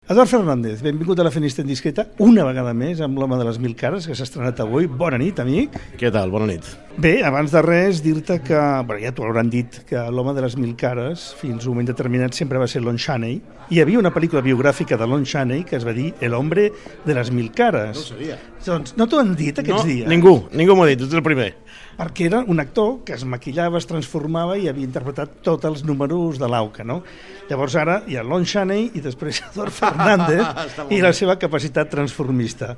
Eduard Fernández, benvingut a La Fenista Indiscreta, una vegada més amb l'Home de les Mil Cares, que s'ha estrenat avui. Bona nit, amic. Què tal? Bona nit. Bé, abans de res, dir-te que, ja t'ho hauran dit, que l'Home de les Mil Cares, fins a un moment determinat, sempre va ser Lon Chaney. Hi havia una pel·lícula biogràfica de Lon Chaney que es va dir El hombre de les mil cares. No ho sabia. Doncs no t'ho han dit aquests dies? Ningú m'ho ha dit, tu ets el primer. Perquè era un actor que es maquillava, es transformava i havia interpretat tots els números de l'AUCA, no? Llavors ara hi ha Lon Chaney i després Eduard Fernández i la seva capacitat transformista.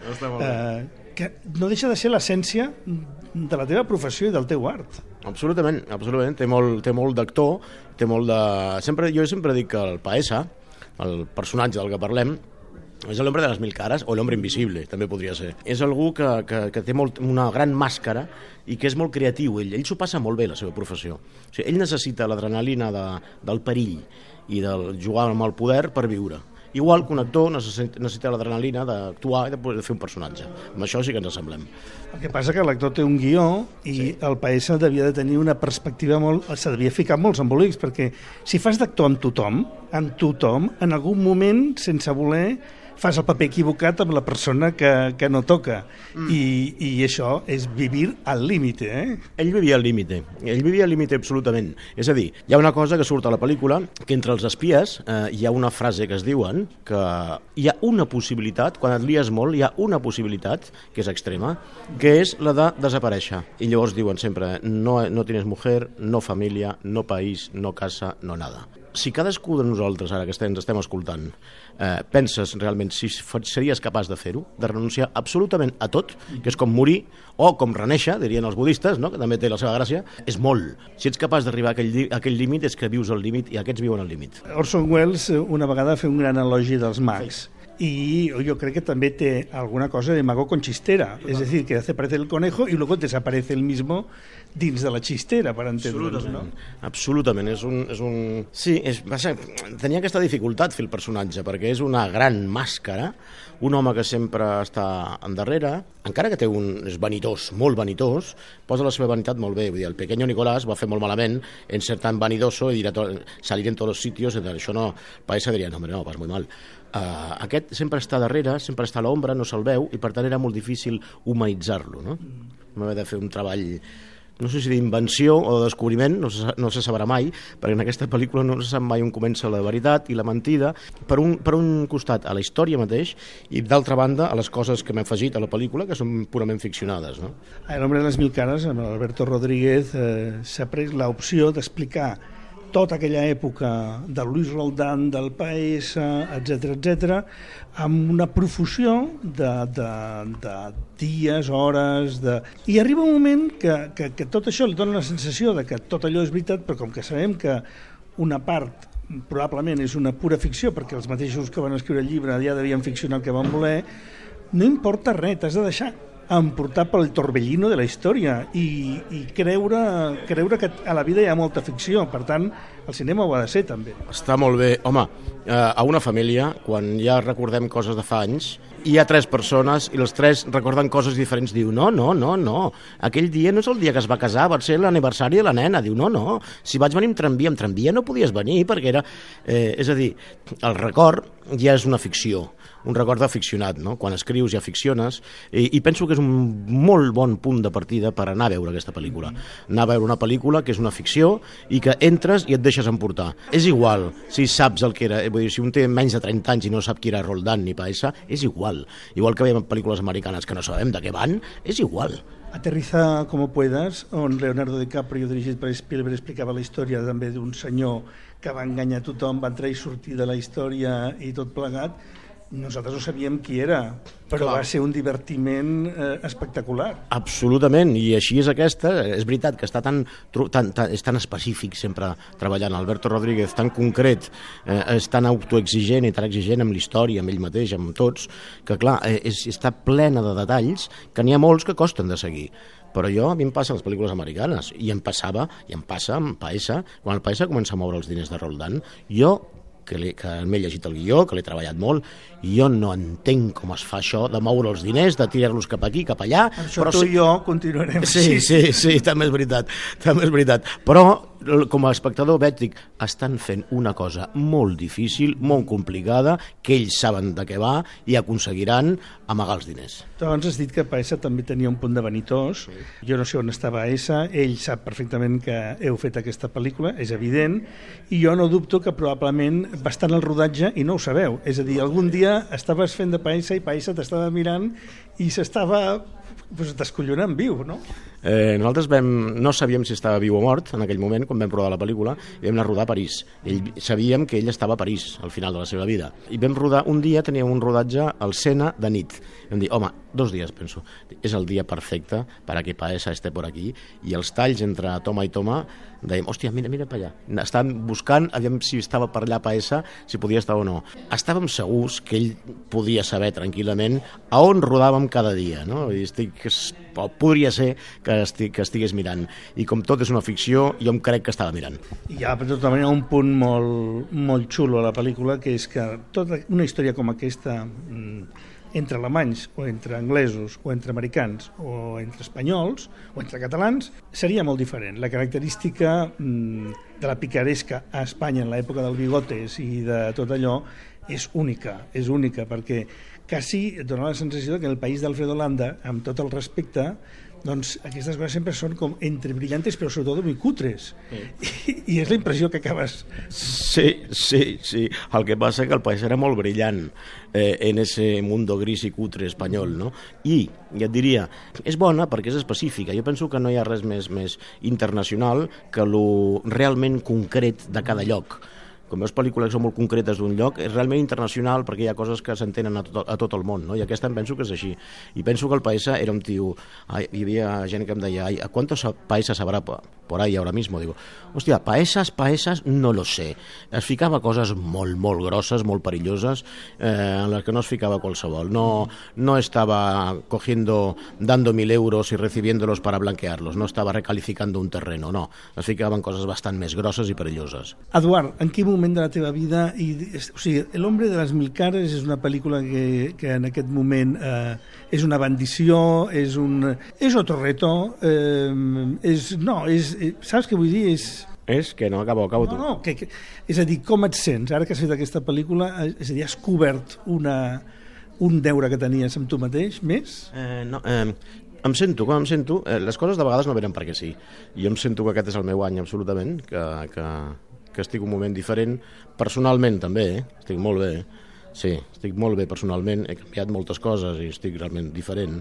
Que no deixa de ser l'essència de la teva professió i del teu art. Absolutament. Té molt d'actor, té molt de... Jo sempre dic que el Paesa, el personatge del que parlem, és l'hombre de les mil cares, o l'hombre invisible, també podria ser. És algú que té una gran màscara i que és molt creatiu. Ell s'ho passa molt bé, la seva professió. O sigui, ell necessita l'adrenalina del perill i del jugar amb el poder per viure. Igual que un actor necessita l'adrenalina d'actuar i de fer un personatge. Amb això sí que ens assemblem. El que passa que l'actor té un guió i el Paesa devia de tenir una perspectiva se devia ficar molts embolics, perquè si fas d'actor amb tothom, en algun moment, sense voler, fas el paper equivocat amb la persona que no toca. I això és vivir al límite, eh? Ell vivia al límite absolutament. És a dir, hi ha una cosa que surt a la pel·lícula, que entre els espies hi ha una frase que es diuen, que hi ha una possibilitat, quan et lies molt, hi ha una possibilitat, que és extrema, que és la de desaparèixer. I llavors diuen sempre, no tienes mujer, no família, no país, no casa, no nada. Si cadascú de nosaltres, ara que ens estem escoltant, penses realment si series capaç de fer-ho, de renunciar absolutament a tot, que és com morir, o com renéixer, dirien els budistes, no? Que també té la seva gràcia, és molt. Si ets capaç d'arribar a aquell límit, és que vius al límit i aquests viuen al límit. Orson Welles una vegada va fer un gran elogi dels mags. Y yo creo que también té alguna cosa de mago con chistera, es decir, que hace aparecer el conejo y luego desaparece el mismo dins de la chistera, per entendre'ns, no? Absolutament, Sí, tenia aquesta dificultat fer el personatge, perquè és una gran màscara, un home que sempre està endarrere, encara que és vanitós, molt vanitós, posa la seva vanitat molt bé, vull dir, el pequeño Nicolás va fer molt malament en ser tan vanidoso i salir en tots els sitios, això no, Paesa diria, no, vas muy mal. Aquest sempre està darrere, sempre està a l'ombra, no se'l veu, i per tant era molt difícil humanitzar-lo, no? Vam haver de fer un treball, no sé si d'invenció o de descobriment, no se sabrà mai, perquè en aquesta pel·lícula no se sap mai on comença la veritat i la mentida, per un costat a la història mateix i d'altra banda a les coses que m'he afegit a la pel·lícula que són purament ficcionades, no? A l'Hombre de les Mil Cares, amb Alberto Rodríguez, s'ha pres l'opció d'explicar tota aquella època de Luis Roldán, del Paesa, etc., amb una profusió de dies, hores... I arriba un moment que tot això li dona la sensació de que tot allò és veritat, però com que sabem que una part probablement és una pura ficció, perquè els mateixos que van escriure el llibre ja devien ficcionar el que van voler, no importa res, t'has de deixar emportar pel torbellino de la història i creure que a la vida hi ha molta ficció. Per tant, el cinema ho ha de ser, també. Està molt bé. Home, a una família, quan ja recordem coses de fa anys, hi ha 3 persones i els 3 recorden coses diferents. Diu, no, aquell dia no és el dia que es va casar, va ser l'aniversari de la nena. Diu, no, si vaig venir amb tramvia no podies venir perquè era... és a dir, el record ja és una ficció, un record aficionat, no? Quan escrius ja ficciones, i penso que és un molt bon punt de partida per anar a veure aquesta pel·lícula. Anar a veure una pel·lícula que és una ficció i que entres i et deixes emportar. És igual si saps el que era, vull dir, si un té menys de 30 anys i no sap qui era Roldán ni Paesa, és igual. Igual que veiem pel·lícules americanes que no sabem de què van, és igual. Aterriza como puedas, on Leonardo DiCaprio, dirigit per Spielberg, explicava la història també d'un senyor que va enganyar tothom, va entrar i sortir de la història i tot plegat. Nosaltres no sabíem qui era, però va ser un divertiment espectacular. Absolutament, i així és aquesta. És veritat que és tan específic sempre treballant. Alberto Rodríguez, tan concret, és tan autoexigent i tan exigent amb l'història, amb ell mateix, amb tots, que clar, està plena de detalls que n'hi ha molts que costen de seguir. Però a mi em passa a les pel·lícules americanes, i em passa amb Paesa, quan el Paesa comença a moure els diners de Roldán, jo que m'he llegit el guió, que l'he treballat molt, jo no entenc com es fa això de moure els diners, de tirar-los cap aquí, cap allà. Això però tu i jo continuarem així. Sí, també és veritat. Però com a espectador veig, dic, estan fent una cosa molt difícil, molt complicada, que ells saben de què va i aconseguiran amagar els diners. Tu abans has dit que Paesa també tenia un punt de vanitós. Sí. Jo no sé on estava Paesa, ell sap perfectament que heu fet aquesta pel·lícula, és evident, i jo no dubto que probablement va estar en el rodatge i no ho sabeu. És a dir, algun dia estaves fent de Paesa i Paesa t'estava mirant i s'estava descollonant viu, no? Nosaltres no sabíem si estava viu o mort en aquell moment, quan vam rodar la pel·lícula, i vam anar a rodar a París. Sabíem que ell estava a París al final de la seva vida. I vam rodar, un dia teníem un rodatge al Sena de nit. I vam dir, home, 2 dies, penso, és el dia perfecte per a que Paesa esté por aquí. I els talls entre toma i toma, dèiem, hòstia, mira per allà. Estàvem buscant, aviam si estava per allà Paesa, si podia estar o no. Estàvem segurs que ell podia saber tranquil·lament a on rodàvem cada dia, no? I podria ser que estigués mirant. I com tot és una ficció, jo em crec que estava mirant. Hi ha, per tota manera, un punt molt xulo a la pel·lícula, que és que tota una història com aquesta, entre alemanys o entre anglesos o entre americans o entre espanyols o entre catalans, seria molt diferent. La característica de la picaresca a Espanya en l'època del Bigotes i de tot allò és única perquè quasi et dona la sensació que en el país d'Alfredo Landa, amb tot el respecte, doncs aquestes coses sempre són com entre brillantes però sobretot muy cutres. I és la impressió que acabes... Sí. El que passa que el país era molt brillant en ese mundo gris i cutre espanyol, no? I et diria, és bona perquè és específica. Jo penso que no hi ha res més internacional que lo realment concret de cada lloc. Com veus pel·lícules que són molt concretes d'un lloc, és realment internacional perquè hi ha coses que s'entenen a tot el món, no? I aquesta em penso que és així. I penso que el Paesa era un tio... Hi havia gent que em deia, ¿cuántos paesas habrá por ahí ahora mismo? Digo, hòstia, paesas, no lo sé. Es ficava coses molt grosses, molt perilloses, en les que no es ficava qualsevol. No estava dando 1.000 euros y recibiéndolos para blanquearlos, no estava recalificando un terreno, no. Es ficaven coses bastant més grosses i perilloses. Eduard, en quin moment de la teva vida, o sigui, El hombre de les mil cares és una pel·lícula que en aquest moment és una bendició, és otro reto, saps què vull dir? És que no, acabo tu. No, és a dir, com et sents ara que has fet aquesta pel·lícula? És a dir, has cobert un deure que tenies amb tu mateix, més? Em sento, les coses de vegades no venen perquè sí. Jo em sento que aquest és el meu any absolutament, que estic un moment diferent, personalment també, estic molt bé, sí, estic molt bé personalment, he canviat moltes coses i estic realment diferent.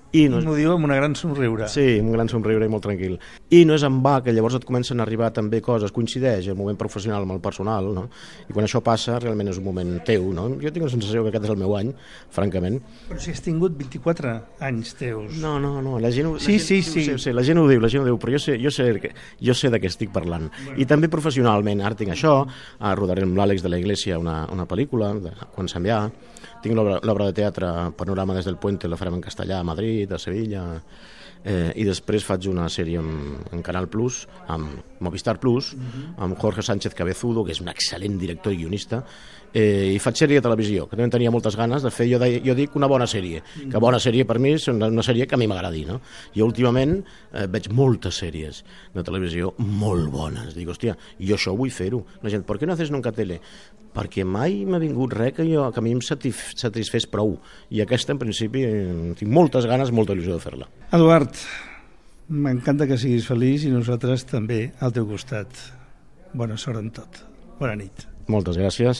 I m'ho diu amb una gran somriure. Sí, un gran somriure i molt tranquil. I no és en va que llavors et comencen a arribar també coses, coincideix el moment professional amb el personal, no? I quan això passa realment és un moment teu, no? Jo tinc la sensació que aquest és el meu any, francament. Però si has tingut 24 anys teus. No, la gent Sí. La gent ho diu, però jo sé de què estic parlant. Bueno. I també professionalment, ara tinc això, rodaré amb l'Àlex de la Iglesia una pel·lícula, quan se'n va. Tinc l'obra de teatre Panorama des del Puente, la farem en castellà a Madrid, a Sevilla, i després faig una sèrie en Canal Plus, amb Movistar Plus, amb Jorge Sánchez Cabezudo, que és un excel·lent director i guionista, i faig sèrie de televisió, que també tenia moltes ganes de fer, jo dic una bona sèrie, que bona sèrie per mi és una sèrie que a mi m'agradi, no? Jo últimament veig moltes sèries de televisió molt bones, dic, hòstia, jo això vull fer-ho. La gent, per què no haces nunca tele? Perquè mai m'ha vingut res que a mi em satisfés prou, i aquesta en principi tinc moltes ganes, molta il·lusió de fer-la. Eduard, m'encanta que siguis feliç i nosaltres també al teu costat. Bona sort en tot. Bona nit. Moltes gràcies.